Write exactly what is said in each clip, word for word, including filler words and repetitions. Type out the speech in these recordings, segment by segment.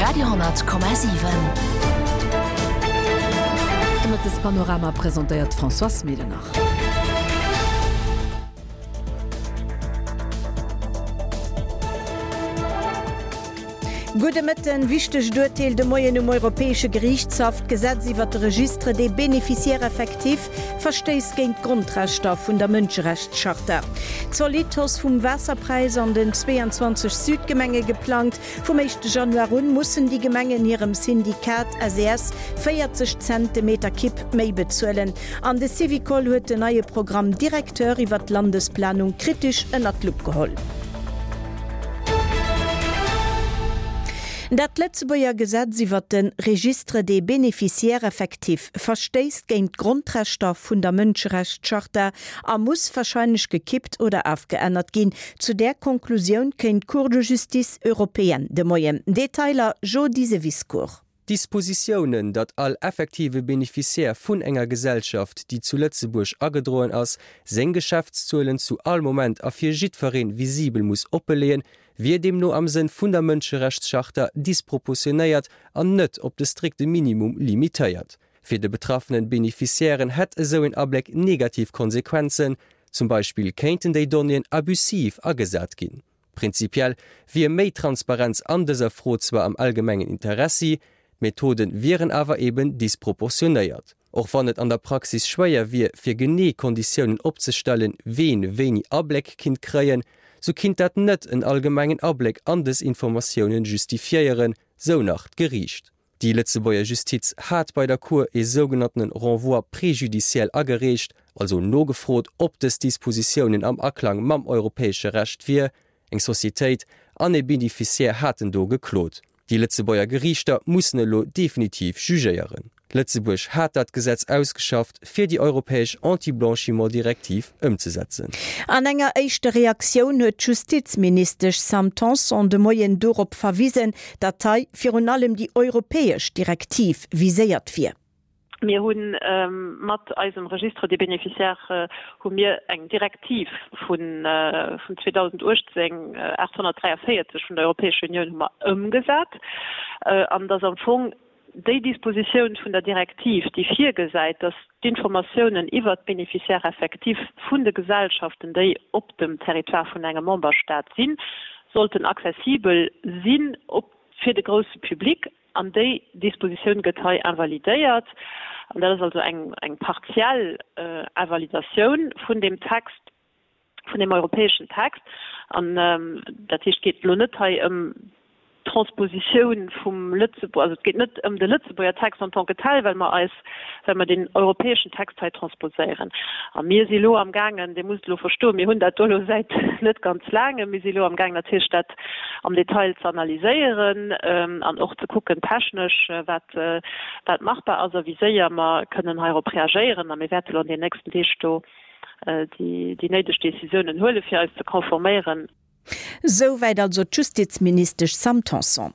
Radio honnert Komma siwen. De Mëttespanorama presentéiert d'Françoise Medernach. Gudde Mëtten. Wichtegt Urteel de Moien um Europäesche Geriichtshaff, D'Gesetz iwwert de Registre des bénéficiaires effectifs verstéisst géint d'Grondrechter vun der Mënscherechtscharta. Zolidd Hausse vum Waasserpräis an den zweeanzwanzeg Südgemenge geplangt. Vum éischte Januar un mussen déi Gemengen hirem Syndikat S E S véierzeg Cent de Meter Kibb méi bezuelen. An de Syvicol huet den neie Programme directeur iwwert d'Landesplanung kritesch ënnert d'Lupp geholl. Dat Lëtzebuerger Gesetz iwwert de Registre des bénéficiaires effectifs verstéisst géint d'Grondrechter vun der Mënscherechtscharta a muss warscheinlech gekippt oder afgeännert ginn. Zu där Konklusioun kéint d'Cour de justice européenne de Moien. Detailer Jody Seviscourt. D'Dispositiounen, datt all effektive Beneficiaire vun enger Gesellschaft, déi zu Lëtzebuerg agedroen ass, seng Geschäftszuelen zu all Moment a fir jiddweree visibel muss oppeleeën, wier deemno am Sënn vun der Mënscherechtscharta disproportionéiert an net op de strikte Minimum limitéiert. Fir de betraffenen Beneficiairen hätt esou een Abléck negativ Konsequenzen, zum Beispill kéinten déi Donnéeën abusiv agesat ginn. Prinzipiell wier méi Transparenz an dëser Fro zwar am allgemengen Interessi, d'Methoden wieren awer eben disproportionéiert. Och wann et an der Praxis schwéier wier, fir genee Konditiounen opzestellen, ween wéini Abléck kinnt kréien, sou kinnt dat net en allgemengen Abléck an dës Informatiounen justifiéieren, sou nach d'Geriicht. Déi Lëtzebuerger Justiz hat bei der Cour ee sougenanntene Renvoi préjudiciel agereecht, also nogefrot, ob dës Dispositiounen am Aklang mam europäesche Recht wier. Eng Societéit an ee Beneficiaire haten do geklot. Déi Lëtzebuerger Geriichter mussen elo definitiv jugéieren. Lëtzebuerg hat dat Gesetz ausgeschafft, fir déi europäesch Anti-Blanchiment-Direktiv ëmzesetzen. An enger éischter Reaktioun huet d'Justizministesch Sam Tanson de Moien dorop verwisen, datt hei virun allem déi europäesch Direktiv viséiert wier. Mir hu mat eisem Registre des bénéficiaires hu mir eng Direktiv vun zweedausenduechtzéng aathonnertdräiavéierzeg vun der Europäescher Unioun hu mer ëmgesat. An et ass am Fong déi Dispositioun vun der Direktiv, déi virgesäit, dass d'Informatiounen iwwert d'Bénéficiaires effectifs vun de Gesellschaften, déi op dem Territoire vun engem Memberstaat sinn, sollten accessibel sinn op fir de grousse Public. An déi Dispositioun gëtt hei invalidéiert. An dat ass also eng, eng partiell Invalidatioun vun deem Text, vun deem europäeschen Text. An dat heescht, et geet elo net hei ëm d'Transpositioun vum Lëtzebuerg, also et geet net ëm de Lëtzebuerger Text en tant que tel, well mer eis, well mer deen europäeschen Text hei transposéieren. A mir si elo amgaangen, Dir musst elo verstoen, mir hunn dat do elo säit net ganz laangem, mir si elo amgaangen natierlech dat am Detail ze analyséieren an och ze kucken technesch, wat, wat machbar ass a wéi séier mer kënnen heirop reagéieren. A mir wäerte elo an den nächsten Deeg do déi, déi néideg Décisiounen huelen, fir eis ze konforméieren. Souwäit also d'Justizministesch Sam Tanson.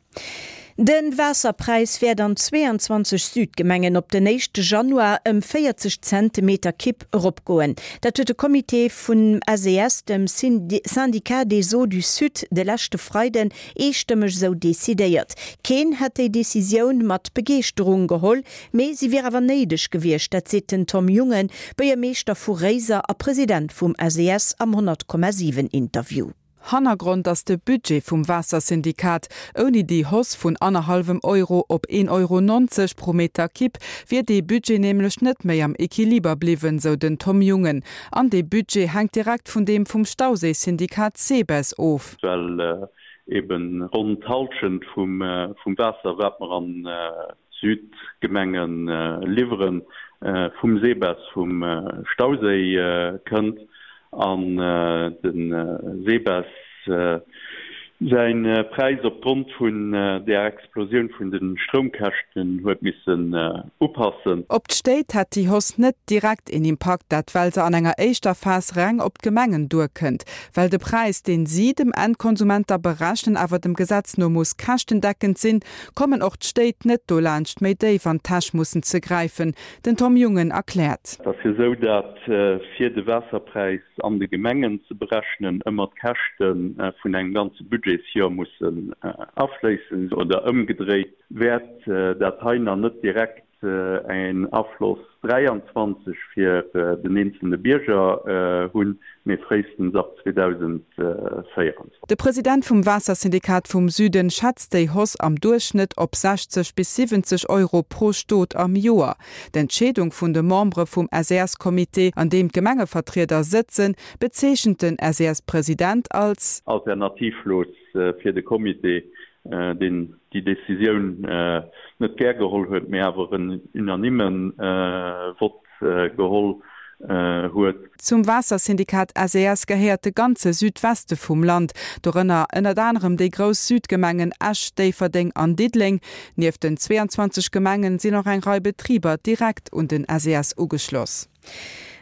De Waasserpräis wäert an zweeanzwanzeg Südgemengen op den éischte Januar ëm véierzeg Cent de Meter Kibb eropgoen. Dat huet de Comité vum S E S, dem Syndicat des Eaux du Sud, de leschte Freiden eestëmmeg esou decidéiert. Keen hätt déi Decisioun mat Begeeschterung geholl, mee si wier awer néideg gewiescht, dat seet den Tom Jungen, Buergermeeschter vu Réiser a President vum S E S am honnert Komma siwen Interview. Hannergrond ass de Budget vum Waassersyndikat. Ouni déi Hausse vun annerhallwem Euro op een Euro nonzeg pro Meter Kibb wier dee Budget nämlech net méi am Equiliber bliwwen, sou den Tom Jungen. An dee Budget hänkt direkt vun deem vum Stauséisyndikat SEBES of. Well eben ronn d'Hallschent vum Waasser, wat mer an d'Südgemenge liwweren, vum SEBES, vum Stauséi kënnt. An de SEBES säi Präis opgrond vun där Explosioun vun de Stroumkäschten huet missen upassen. Op d'Stéit hätt déi Hausse net direkt een Impakt, dat well se an enger éischter Phas reng op d'Gemengen duerkënnt. Well de Präis, deen si dem Endkonsument da berechnen, awer dem Gesetz no muss käschtendeckend sinn, kommen och d'Stéit net dolaanscht, méi déif an d'Täsch mussen ze gräifen. Den Tom Jungen erkläert. Et ass jo esou, dat fir de Waasserpräis an de Gemengen ze berechnen, ëmmer d'Käschte vun engem ganze Budget Budgetsjoer mussen afléissen. Oder ëmgedréit, wäert dat hei nach net direkt en Afloss dräianzwanzeg fir den eenzelne Bierger hunn, mee fréistens ab zweedausendvéieranzwanzeg. De President vum Waassersyndikat vum Süden schätzt déi Hausse am Duerchschnëtt op sechzeg bis siwwenzeg Euro pro Stot am Joer. D'Entscheedung vun de Membere vum S E S-Comité, an deem d'Gemengevertrieder sëtzen, bezeechent den S E S-President als. Alternativlos fir de Comité, deen déi Decisioun net gär geholl huet, mee awer en unanime Vott geholl huet. Zum Waassersyndikat S E S gehéiert de ganze Südweste vum Land, dorënner ënnert anerem déi grouss Südgemengen Esch, Déifferdeng an Diddeleng. Nieft den zweeanzwanzeg Gemengen sinn och eng Rei Betriber direkt un den S E S ugeschloss.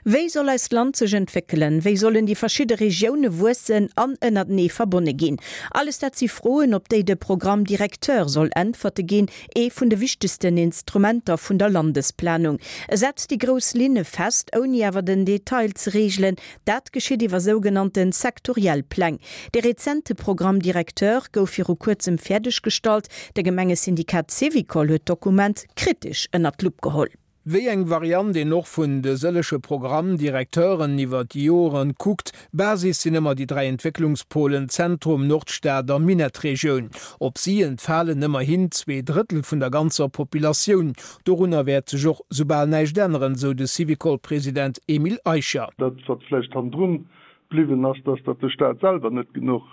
Wéi soll eist Land sech entwéckelen? Wéi sollen déi verschidde Regioune wuessen an ënnertenee verbonne ginn? Alles dat si Froen, op déi de Programme directeur soll Äntwerte ginn, ee vun de wichtegsten Instrumenter vun der Landesplanung. E setzt déi grouss Linne fest, ouni awer den Detail ze reegelen. Dat geschitt iwwer sougenannte sektoriell Pläng. De rezente Programme directeur gouf viru kuerzem fäerdeggestallt. De Gemengesyndikat Syvicol huet d'Dokument kritesch ënnert d'Lupp geholl. Wéi eng Variant een och vun de sëllege Programme-directeuren iwwer déi Joren kuckt, Basis sinn ëmmer déi dräi Entwécklungspolen Zentrum, Nordstad a Minettregioun. Op si entfalen ëmmerhin zwee Drëttel vun der ganzer Populatioun. Dorunner wäert sech och soubal näischt änneren, sou de Syvicol-President Emile Eicher. Dat, wat vläicht hannendrun bliwwen ass, dass datt de Staat selwer net genuch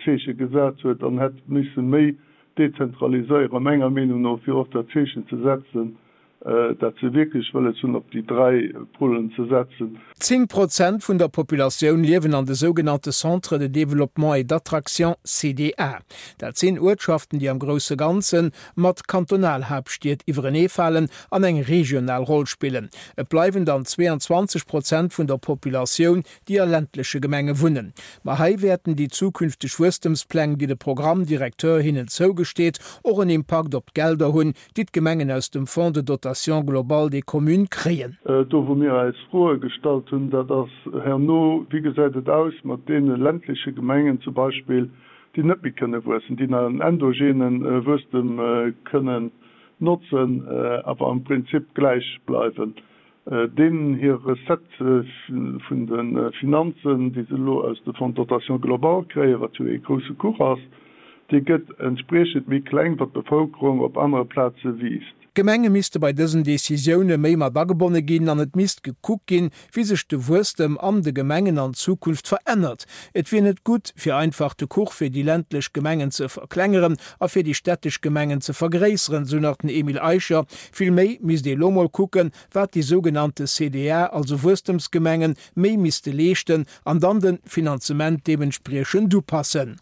Zeeche gesat huet an hätt misse méi dezentraliséieren, menger Meenung no, fir och dat Zeechen ze setzen, dat se wierklech wëlles hunn, op déi dräi Polen ze setzen. Zéng Prozent vun der Populatioun liewen an de sougenannte Centres de développement et d'attraction, C D A. Dat sinn Uertschaften, déi am grousse Ganze mat Kantonalhaaptstied iwwereneefalen an eng regional Roll spillen. Et bleiwen dann zweeanzwanzeg Prozent vun der Populatioun, déi a ländleche Gemenge wunnen. Ma hei wäerten déi zukünfteg Wuesstemspläng, déi de Programme directeur hinnen zougesteet, och en Impakt op d'Gelder hunn, déi d'Gemengen aus dem Fonds de dotation globale des communes kréien. Do wou mir eis Froe gestallt hunn, dat ass herno, wéi gesäit et aus mat deene ländleche Gemengen zum Beispill, déi net méi kënne wuessen, déi nach en endogene Wuesstem kënnen notzen, awer am Prinzip gläich bleiwen. Deenen hir Recettë vun de Finanzen, déi se elo aus de Fonds de dotation globale kréien, wat jo ee grousse Kuch ass, déi gëtt entspriechend méi kleng, wat d'Bevëlkerung op anere Plaze wiisst. D'Gemenge misste bei dësen Decisioune méi mat agebonne ginn an et misst gekuckt ginn, wéi sech de Wuesstem an de Gemengen an Zukunft verännert. Et wier net gutt, fir einfach de Kuch fir déi ländlech Gemengen ze verklengeren a fir déi städtesch Gemengen ze vergréisseren, sou nach den Emile Eicher. Vill méi misst ee lo mol kucken, wat déi sougenannte C D A, also Wuesstemsgemengen, méi misste leeschten an dann de Finanzement deementspriechend upassen.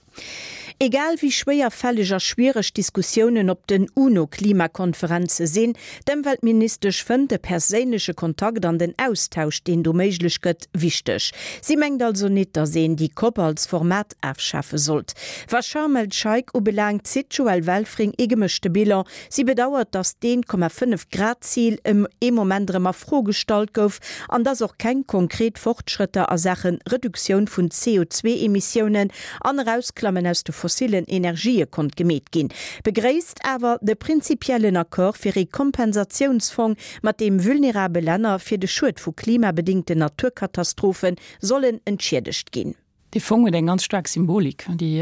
Egal wéi schwéierfälleg a schwiereg d'Diskussiounen op den UNO-Klimakonferenze sinn, d'Ëmweltministesch fënnt de perséinleche Kontakt an den Austausch, deen do méiglech gëtt, wichteg. Si mengt also net, datt een déi COP als Format ofschafe sollt. Wat Scharm el-Scheich ubelaangt, zitt d'Joëlle Welfring ee gemëschte Bilan. Si bedauert, datt d'Een-Komma-fënnef-Grad-Zil ëm ee Moment erëm a Fro gestallt gouf an datt och keng konkret Fortschrëtter a Saache Reduktioun vun C O zwee Emissiounen an Erausklammen aus de fossillen Energië konnt gemeet ginn. Begréisst awer de prinzipiellen Accord fir ee Kompensatiounsfong, mat deem vulnerabel Länner fir de Schued vu klimabedéngten Naturkatastrophe sollen entschiedegt ginn. Dee Fong huet eng ganz staark Symbolik. Déi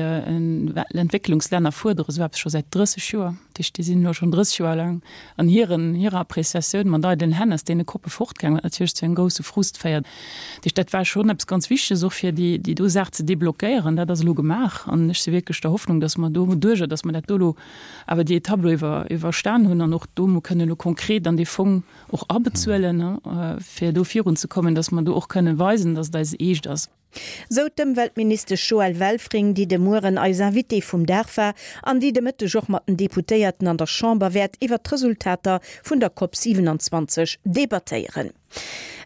Entwécklungslänner fuerdere sou eppes scho säit drësseg Joer. Dat heescht, déi sinn elo schonn drësseg Joer laang an hiren, hirer Appreciatioun mat eidelen Hänn aus deene COPe fortgaangen, wat natierlech zu engem grousse Frust féiert. Dat heescht, dat war schonn eppes ganz Wichteges och fir déi, déi do Saach ze deblockéieren. Dat ass elo gemaach an ech si wierklech der Hoffnung, dass mer doduerjer, dass mer dat do elo awer déi Etapp elo iwwer, iwwerstan hunn an och do mol kënnen elo konkret an dee Fong och abezuelen, fir do virunzekommen, dass mer do och kënnen weisen, dass et eis eescht ass. Sou d'Ëmweltministesch Joëlle Welfring, déi de Mueren eis Invitée vum Dag war an déi de Mëtteg och mat den Deputéierten an der Chamber wäert iwwer d'Resultater vun der COP siewenundzwanzeg debattéieren.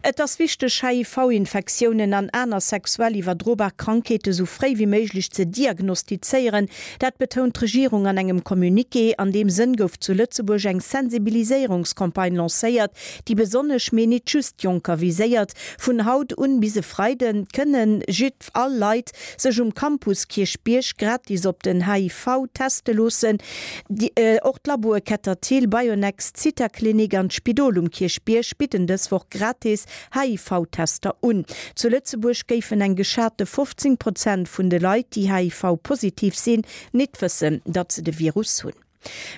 Et ass wichteg, HIV-Infektiounen an aner sexuell iwwerdrobar Krankheete sou fréi wéi méiglech ze diagnostizéieren. Dat betount d'Regierung an engem Communiqué. An deem Sënn gouf zu Lëtzebuerg eng Sensibiliséierungscampagne lancéiert, déi besonnesch, mee nit just Jonker viséiert. Vun haut un bis e Freide kënne jidd all Leit sech um Campus Kierchbierg gratis op den HIV teste loossen. Och d'Laboe Ketterthiel, Bionext, Zithaklinik an d'Spidol um Kierchbierg bidden dës Woch gratis HIV-Tester un. Zu Lëtzebuerg géifen eng geschate fofzéng Prozent vun de Leit, déi HIV-positiv sinn, nit wëssen, datt se de Virus hunn.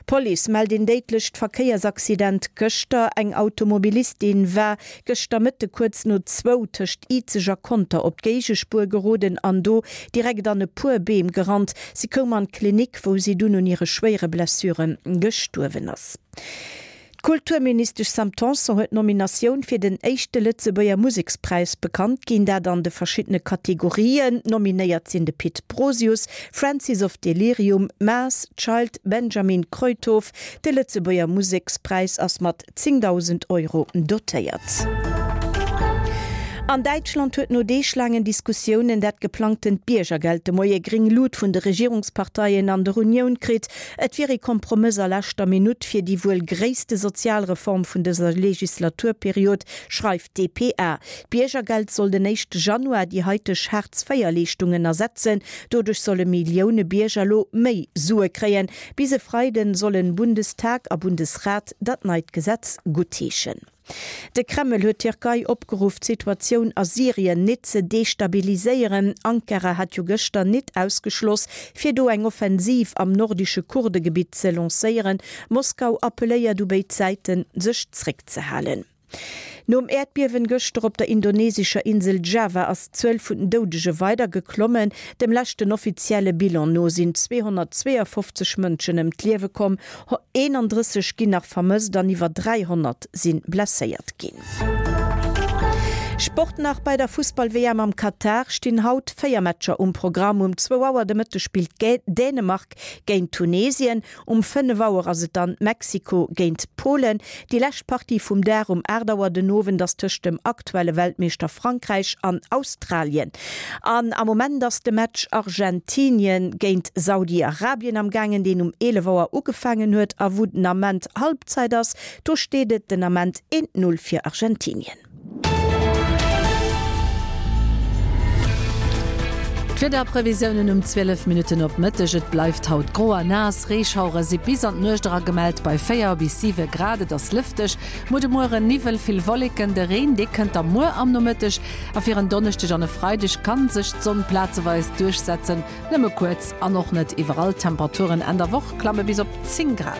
D'Police mellt een déidlecht Verkéiersaccident gëschter. Eng Automobilistin war gëschter Mëtte kuerz no zwou tëscht Izeg a Conter op d'Géigespuer geroden an do direkt an e puer Beem gerannt. Si koum an d'Klinik, wou si dunn un hire schwéiere Blessuren gestuerwen ass. D'Kulturministesch Sam Tanson huet d'Nominatioun fir den éischte Lëtzebuerger Musekspräis bekannt ginn, dat an de verschiddene Kategorien. Nominéiert sinn de Pit Brosius, Francis of Delirium, Maas, Child, Benjamin Kruithof. De Lëtzebuerger Musekspräis ass mat zéngdausend Euro dotéiert. An Däitschland huet no deeglaangen Diskussiounen dat geplangtent Biergergeld de Moie gréng Lut vun de Regierungsparteien an der Unioun kritt. Et wier ee Kompromëss a leschter Minutt fir déi wuel gréisste Sozialreform vun dëser Legislaturperiod, schreift d'dpa. D'Biergergeld soll den éischte Januar déi haiteg Hartz-Véier-Leeschtungen ersetzen. Doduerch solle Millioune Bierger elo méi Sue kréien. Bis e Freiden sollen Bundestag a Bundesrat dat neit Gesetz guttheeschen. De Kreml huet d'Tierkei opgeruff, d'Situatioun a Syrien nit ze destabiliséieren. Ankara hat jo gëschter nit ausgeschloss, fir do eng Offensiv am nordesche Kurdegebitt ze lancéieren. Moskau appelléiert u béid Säiten, sech zréckzehalen. Nom Äerdbiewen gëschter op der indonesescher Insel Java ass d'Zuel vun den Doudege weider geklommen. Dem leschten offizielle Bilan no sinn zweehonnertzweeafofzeg Mënschen ëm d'Liewe komm, eenandrësseg ginn nach vermësst an iwwer dräihonnert si blesséiert ginn. Sport nach, Bei der Fussball-W M am Katar stinn haut véier Matcher um Programm. Um zwou Auer de Mëtteg spillt Dänemark géint Tunesien. Um fënnef Auer ass et dann Mexiko géint Polen. Déi lescht Partie vum Dag um aacht Auer den Owend ass tëscht dem aktuelle Weltmeeschter Frankräich an Australien. An am Moment ass de Match Argentinien géint Saudi-Arabien am gaangen, deen um eelef Auer ugefaangen huet a wou den Ament Halbzeit ass. Do steet et den Ament eent Null fir Argentinien. D'Wiederprevisiounen um zwielef Minutten op Mëtteg, Et bleift haut gro a naass, Reeschauere si bis an d'Nuecht era gemellt bei véier bis siwe Grad. Et ass lëfteg. Muer de Mueren Niwwel, vill Wolleken, de Reen dee kënnt da muer am Nomëtteg a fir en Donneschdeg an e Freideg ka sech d'Sonn plazeweis duerchsetzen, nëmme kuerz an och net iwwerall. D'Temperaturen Enn der Woch klamme bis op zéng Grad.